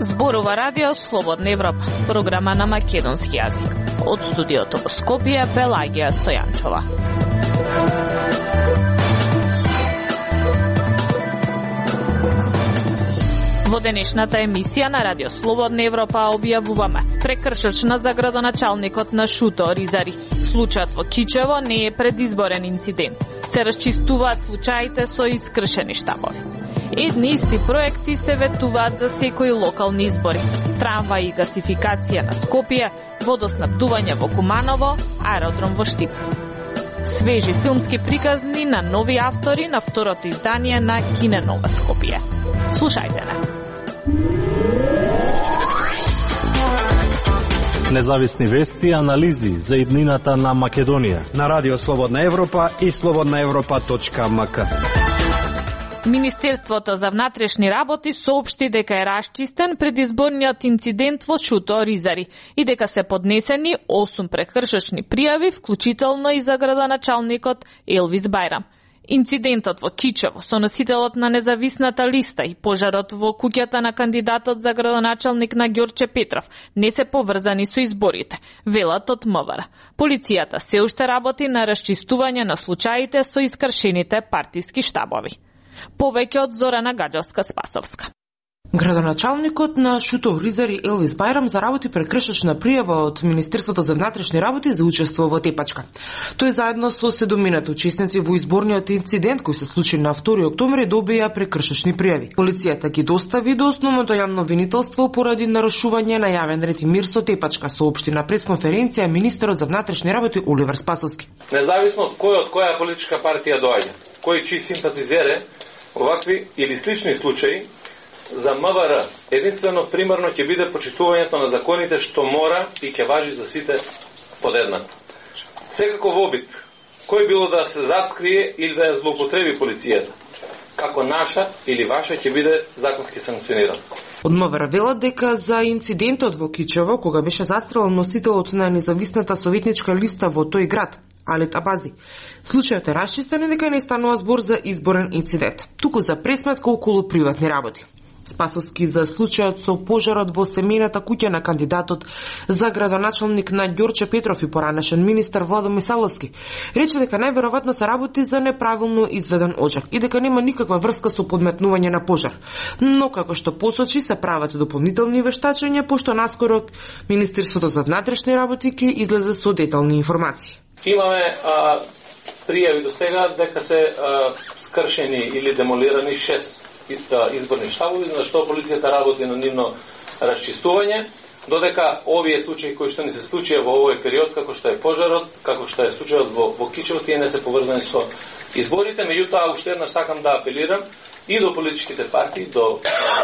Зборува радио Слободна Европа, програма на македонски јазик. Од студиото во Скопје, Пелагија Стојанчова. Во денешната емисија на Радио Слободна Европа објавуваме прекршачна за градоначалникот на Шуто Оризари. Случајот во Кичево не е предизборен инцидент. Се расчистуваат случаите со искршени штабови. Едни исти проекти се ветуваат за секои локални избори. Трамвај и гасификација на Скопје, водоснабдување во Куманово, аеродром во Штип. Свежи филмски приказни на нови автори на второто издание на Кине Нова Скопје. Слушајте не. Независни вести и анализи за иднината на Македонија на Радио Слободна Европа и slobodnaevropa.mk. Министерството за внатрешни работи соопшти дека е расчистен предизборниот инцидент во Шуто Оризари и дека се поднесени 8 прекршачни пријави, вклучително и за градоначалникот Елвис Бајрам. Инцидентот во Кичево со носителот на независната листа и пожарот во куќата на кандидатот за градоначалник на Ѓорче Петров не се поврзани со изборите, велат од МВР. Полицијата се уште работи на расчистување на случаите со искршените партиски штабови. Повеќе од Зорана Гаджевска-Спасовска. Градоначалникот на Шуто Оризари Елвис Бајрам заработи прекршачна пријава од Министерството за внатрешни работи за учество во тепачка. Тој заедно со 7 учесници во изборниот инцидент кој се случи на 2 октомври добија прекршачни пријави. Полицијата ги достави до основното јавно обвинителство поради нарушување на јавен ред и мир со тепачка, соопшти на пресконференција министерот за внатрешни работи Оливер Спасовски. Независно од која политичка партија доаѓа, кој чии симпатизере, овакви или слични случаи за МВР единствено примерно ќе биде почитувањето на законите што мора и ќе важи за сите подеднако. Секако во обид, кој било да се заткрие или да ја злоупотреби полицијата, како наша или ваша ќе биде законски санкциониран. Од МВР велат дека за инцидентот во Кичево, кога беше застрелен носителот на независната советничка листа во тој град, Алет Абази, случајот е расчистен и дека не станува збор за изборен инцидент, туку за пресметка околу приватни работи. Спасовски за случајот со пожарот во семејната куќа на кандидатот за градоначалник на Ѓорче Петров и поранешен министер Владо Мисаловски рече дека најверојатно се работи за неправилно изведен оџак и дека нема никаква врска со подметнување на пожар. Но како што посочи се прават дополнителни вештачења, пошто наскоро Министерството за внатрешни работи ќе излезе со детални информации. Имаме пријави до сега дека се скршени или демолирани 6 изборни штабови, за што полицијата работи на нивно расчистување, додека овие случаи кои што ни се случија во овој период, како што е пожарот, како што е случајот во Кичево, тие не се поврзани со изборите. Меѓутоа, уште еднаш сакам да апелирам и до политичките партии, до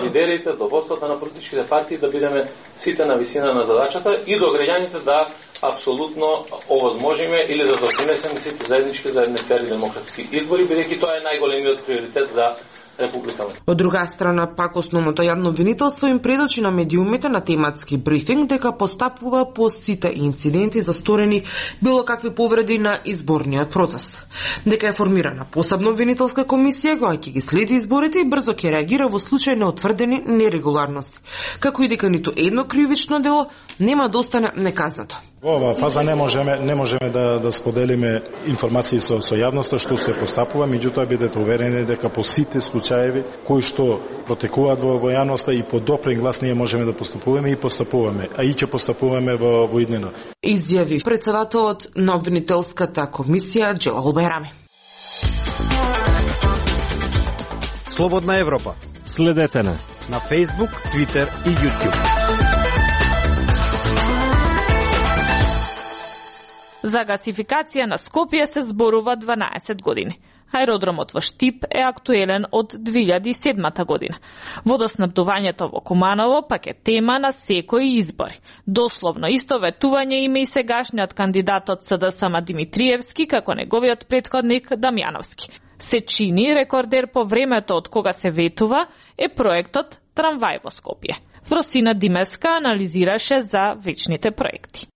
лидерите, до водството на политичките партии, да бидеме сите на висина на задачата и до граѓаните да апсолутно овозможиме или да допринесеме сите заеднички за едни фер и демократски избори, бидејќи тоа е најголемиот приоритет за Републиката. Од друга страна, пак основното јавно обвинителство им предочи на медиумите на тематски брифинг дека постапува по сите инциденти за сторени било какви повреди на изборниот процес. Дека е формирана посебна обвинителска комисија која ќе ги следи изборите и брзо ќе реагира во случај на утврдени нерегуларности, како и дека ниту едно кривично дело нема да остане неказнато. Во оваа фаза не можеме да споделиме информации со јавноста што се постапува, меѓутоа бидете уверени дека по сите случаеви кои што протекуваат во јавноста и по допрен глас ние можеме да постапуваме и постапуваме, а и ќе постапуваме во иднина. Изјави председателот на обвинителската комисија Џелал Бајрами. Слободна Европа. Следете на Facebook, Twitter и YouTube. За гасификација на Скопје се зборува 12 години. Аеродромот во Штип е актуелен од 2007 година. Водоснабдувањето во Куманово пак е тема на секои избори. Дословно истоветување има и сегашниот кандидат од СДСМ Димитриевски како неговиот претходник Дамјановски. Се чини рекордер по времето од кога се ветува е проектот Трамвај во Скопје. Вросина Димеска анализираше за вечните проекти.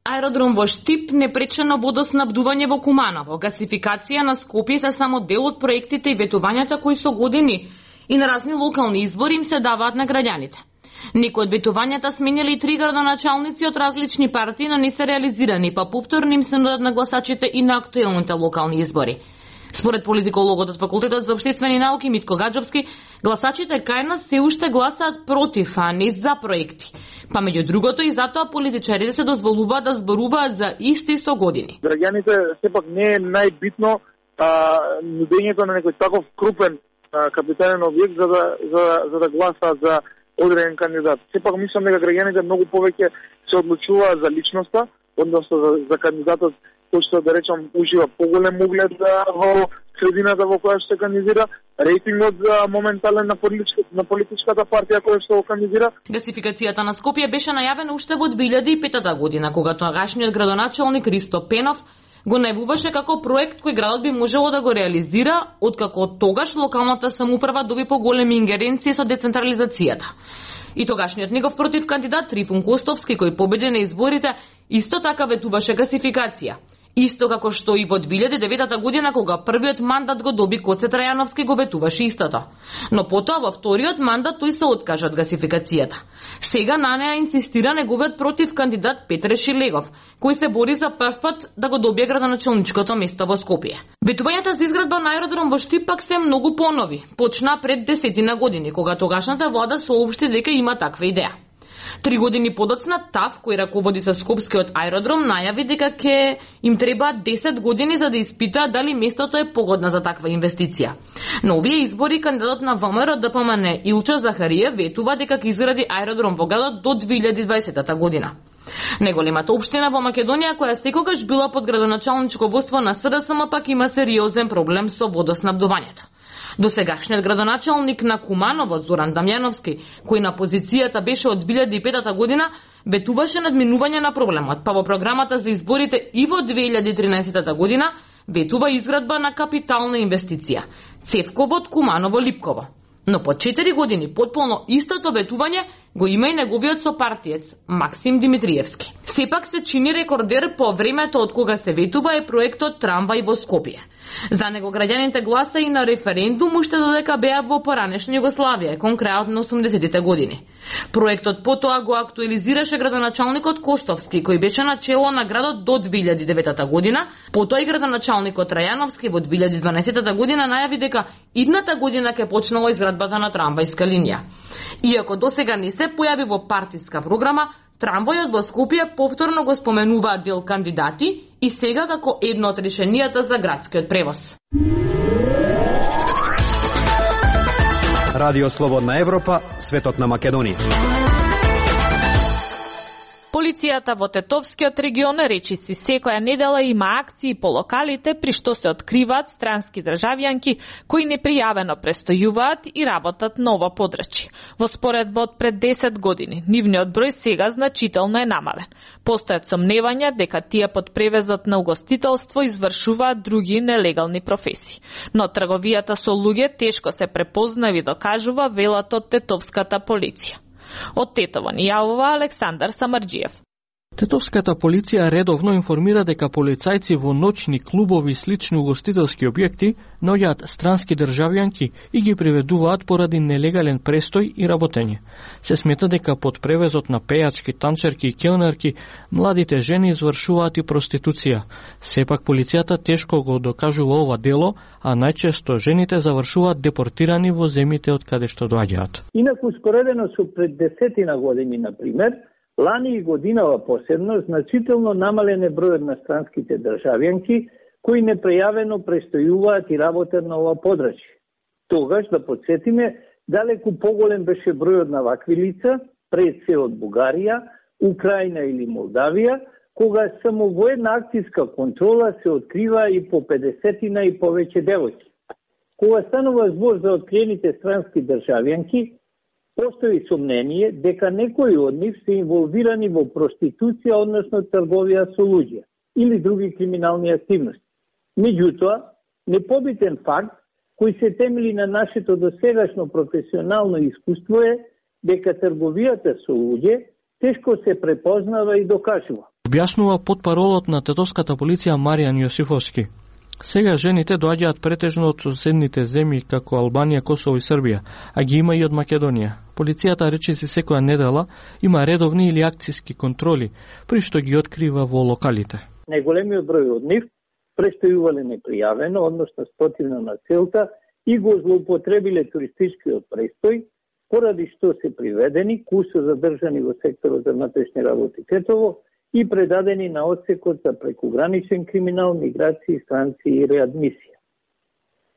Аеродром во Штип, непречено водоснабдување во Куманово, гасификација на Скопје се само дел од проектите и ветувањата кои со години и на разни локални избори им се даваат на граѓаните. Некои од ветувањата сменили и 3 градоначалници од различни партии, но не се реализирани, па повторно им се нудат на гласачите и на актуелните локални избори. Според политикологот од Факултетот за општествени науки Митко Гаджовски, гласачите кај нас се уште гласаат против, а не за проекти. Па меѓу другото и затоа политичарите се дозволуваат да зборуваат за исти со години. Граѓаните сепак не е најбитно нудењето на некој таков крупен капитален објект за да гласаат за одреден кандидат. Сепак мислам дека граѓаните многу повеќе се одлучуваат за личноста, односно за кандидатот кој што, да речам, ужива поголем углед во средината во која што се кандидира, рейтингот за моментален на политичката партија која што го кандидира. Гасификацијата на Скопје беше најавена уште во 2005 година, кога тогашниот градоначалник Ристо Пенов го најавуваше како проект кој градот би можело да го реализира, откако тогаш локалната самоуправа доби поголеми ингеренции со децентрализацијата. И тогашниот негов против кандидат Трифун Костовски, кој победи на изборите, исто така ветуваше гасификација. Исто како што и во 2009 година, кога првиот мандат го доби Коце Трајановски, го ветуваше истото. Но потоа во вториот мандат тој се откажа од гасификацијата. Сега на неа инсистира неговиот против кандидат Петре Шилегов, кој се бори за прв пат да го добие градоначалничкото место во Скопје. Ветувањата за изградба на аеродром во Штип пак се многу понови. Почна пред 10 години, кога тогашната влада соопшти дека има таква идеја. 3 години подоцна ТАФ, кој раководи со Скопскиот аеродром, најави дека ќе им треба 10 години за да испитаат дали местото е погодно за таква инвестиција. На овие избори кандидатот на ВМРО ДПМН Илчо Захариев ветува дека ќе изгради аеродром во градот до 2020 година. Неголемата општина во Македонија, која секогаш била под градоначалничко водство на СДСМ, пак има сериозен проблем со водоснабдувањето. Досегашниот градоначалник на Куманово Зоран Дамјановски, кој на позицијата беше од 2005 година, ветуваше надминување на проблемот, па во програмата за изборите и во 2013 година ветува изградба на капитална инвестиција – Цевковод Куманово-Липково. Но по 4 години потполно истото ветување го има и неговиот сопартиец Максим Димитриевски. Сепак се чини рекордер по времето од кога се ветува е проектот Трамвај во Скопје. За него граѓаните гласа и на референдум уште додека беа во поранешна Југославија, конкретно 80-тите години. Проектот потоа го актуализираше градоначалникот Костовски, кој беше на чело на градот до 2009 година, потоа и градоначалникот Трајановски во 2012 година најави дека идната година ќе почнала изградбата на трамвајска линија. Иако досега не се појави во партиска програма, трамвајот во Скопје повторно го споменуваат дел кандидати и сега како едно од решенијата за градскиот превоз. Радио Слободна Европа, светот на Македонија. Полицијата во Тетовскиот регион речиси секоја недела има акции по локалите при што се откриваат странски државјанки кои непријавено престојуваат и работат на ова подрачје. Во споредба од пред 10 години, нивниот број сега значително е намален. Постојат сомневања дека тие под превезот на угостителство извршуваат други нелегални професии. Но трговијата со луѓе тешко се препознава и докажува, велат од тетовската полиција. Од Тетово ни јавува Александар Самарџиев. Тетовската полиција редовно информира дека полицајци во ноќни клубови и слични угостителски објекти наоѓаат странски државјанки и ги приведуваат поради нелегален престој и работење. Се смета дека под превезот на пејачки, танчерки и келнерки младите жени извршуваат и проституција. Сепак полицијата тешко го докажува ова дело, а најчесто жените завршуваат депортирани во земјите од каде што доаѓаат. Инаку споредено со пред 10 години, например, лани и годинава посебно, значително намален е бројот на странските државјанки кои непрејавено престојуваат и работат на ова подрачје. Тогаш, да подсетиме, далеку поголем беше бројот на вакви лица, пред се од Бугарија, Украина или Молдавија, кога само во една акцијска контрола се открива и по 50 и повеќе девојки. Кога станува збор за откриените странски државјанки, постои сомнение дека некои од нив се инволвирани во проституција, односно трговија со луѓе или други криминални активности. Меѓутоа, непобитен факт кој се темели на нашето досегашно професионално искуство е дека трговијата со луѓе тешко се препознава и докажува. Објаснува потпаролот на тетовската полиција Маријан Јосифовски. Сега жените доаѓаат претежно од соседните земји како Албанија, Косово и Србија, а ги има и од Македонија. Полицијата речиси секоја недела има редовни или акцијски контроли, при што ги открива во локалите. Најголемиот број од нив престојувале непријавено, односно спротивно на целта, и го злоупотребиле туристичкиот престој, поради што се приведени, кусо задржани во секторот за внатрешни работи Тетово и предадени на одсекот за прекуграничен криминал, миграција, странци и реадмисија.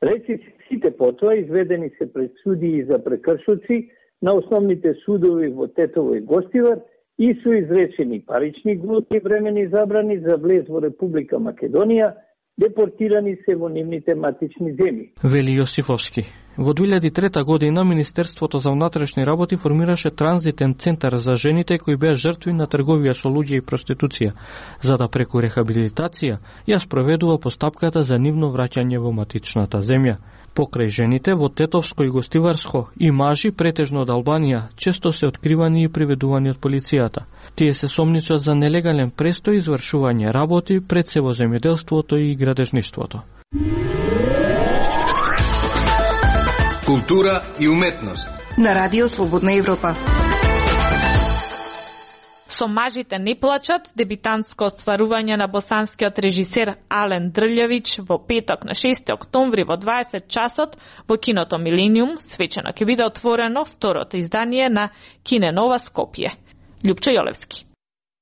Речиси сите потоа изведени се пред судии за прекршоци на основните судови во Тетово и Гостивар и су изречени парични глоби и времени забрани за влез во Република Македонија, депортирани се во нивните матични земји. Вели Јосифовски. Во 2003 година Министерството за внатрешни работи формираше транзитен центар за жените кои беа жртви на трговија со луѓе и проституција, за да преку рехабилитација ја спроведува постапката за нивно враќање во матичната земја. Покрај жените во Тетовско и Гостиварско и мажи претежно од Албанија често се откривани и приведувани од полицијата. Тие се сомничат за нелегален престој и извршување работи пред се во земјоделството и градежништвото. Култура и уметност на Радио Слободна Европа. Со мажите не плачат, дебитантско остварување на босанскиот режисер Ален Дрљевич во петок на 6 октомври во 20 часот во киното Милениум свечено ќе биде отворено второто издание на Кине Нова Скопје. Љупчо Јолевски.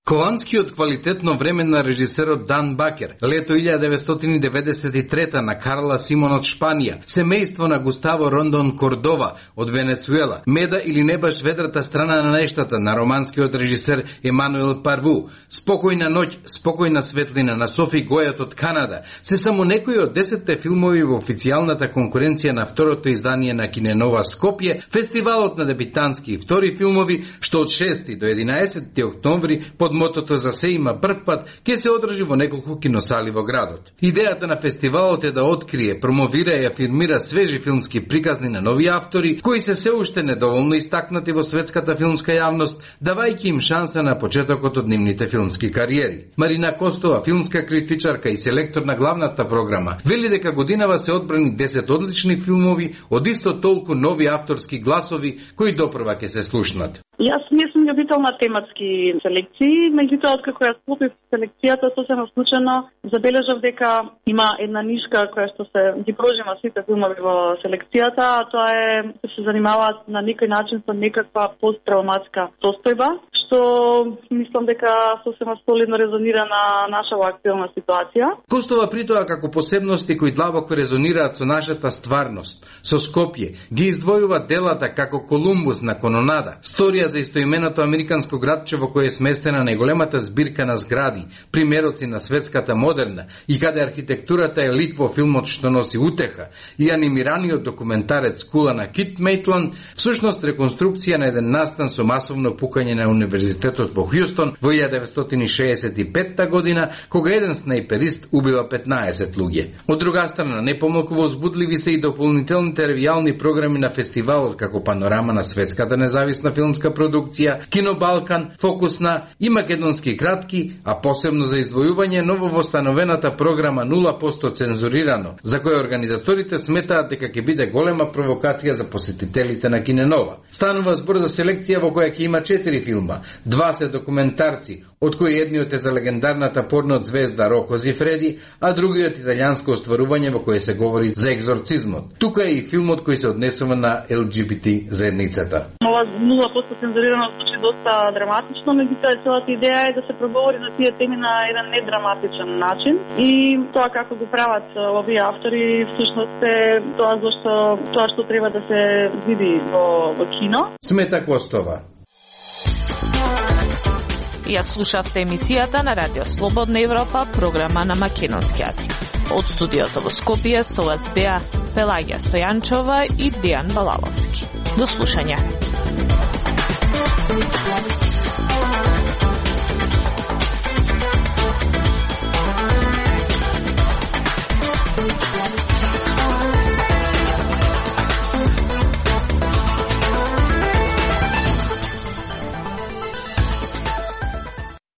Холандскиот квалитетно време на режисерот Дан Бакер, лето 1993 на Карла Симон од Шпанија, семејство на Густаво Рондон Кордова од Венецуела, Меда или не баш ведрата страна на нештата на романскиот режисер Емануел Парву, Спокојна ноќ, спокојна светлина на Софи Гојат од Канада, се само некои од 10 филмови во официјалната конкуренција на второто издание на Кине Нова Скопје, фестивалот на дебитантски и втори филмови, што од 6 до 11 октомври под мотото за се има прв пат ќе се одржи во неколку киносали во градот. Идејата на фестивалот е да открие, промовира и афирмира свежи филмски приказни на нови автори кои се уште недоволно истакнати во светската филмска јавност, давајќи им шанса на почетокот од нивните филмски кариери. Марина Костова, филмска критичарка и селектор на главната програма, вели дека годинава се одбрани 10 одлични филмови од исто толку нови авторски гласови кои допрва ќе се слушнат. Јас не сум љубител на тематски селекции, меѓутоа откако ја склопив селекцијата сосема случајно забележав дека има една нишка која што се ги прожима сите филмови во селекцијата, а тоа е да се занимаваат на некој начин со некаква посттравматска состојба, што мислам дека сосема солидно резонира на нашава актуелна ситуација. Костова притоа како посебности кои длабоко резонираат со нашата стварност, со Скопје, ги издвојува делата како Колумбус на Кононада, сторија за истоименото американско градче во кое е сместена најголемата збирка на згради, примероци на светската модерна и каде архитектурата е лик во филмот што носи утеха, и анимираниот документарец Кула на Кит Мејтланд, всушност реконструкција на еден настан со масовно пукање на универзитетот во Хјустон во 1965 година, кога еден снайперист убива 15 луѓе. Од друга страна, не помалку возбудливи се и дополнителните ревијални програми на фестивалот како панорама на светската независна филмска продукција, Кино Балкан, Фокус на и македонски кратки, а посебно за издвојување нововостановената програма 0% цензурирано, за која организаторите сметаат дека ќе биде голема провокација за посетителите на Киненова. Станува збор за селекција во која ќе има 4 филма, 2 се документарци, од кои едниот е за легендарната порно звезда Роко Зифреди, а другиот италијанско остварување во кое се говори за екзорцизмот. Тука е и филмот кој се однесува на ЛГБТ заедницата. Ова 0% цензурирано звучи доста драматично, меѓутоа целата идеја е да се проговори за тие теми на еден недраматичен начин и тоа како го прават овие автори всушност е тоа што треба да се види во кино. Смета Костова. Ја слушавте емисијата на Радио Слободна Европа, програма на македонски јазик. Од студиото во Скопје со вас беа Пелагија Стојанчова и Дејан Балаловски. До слушање.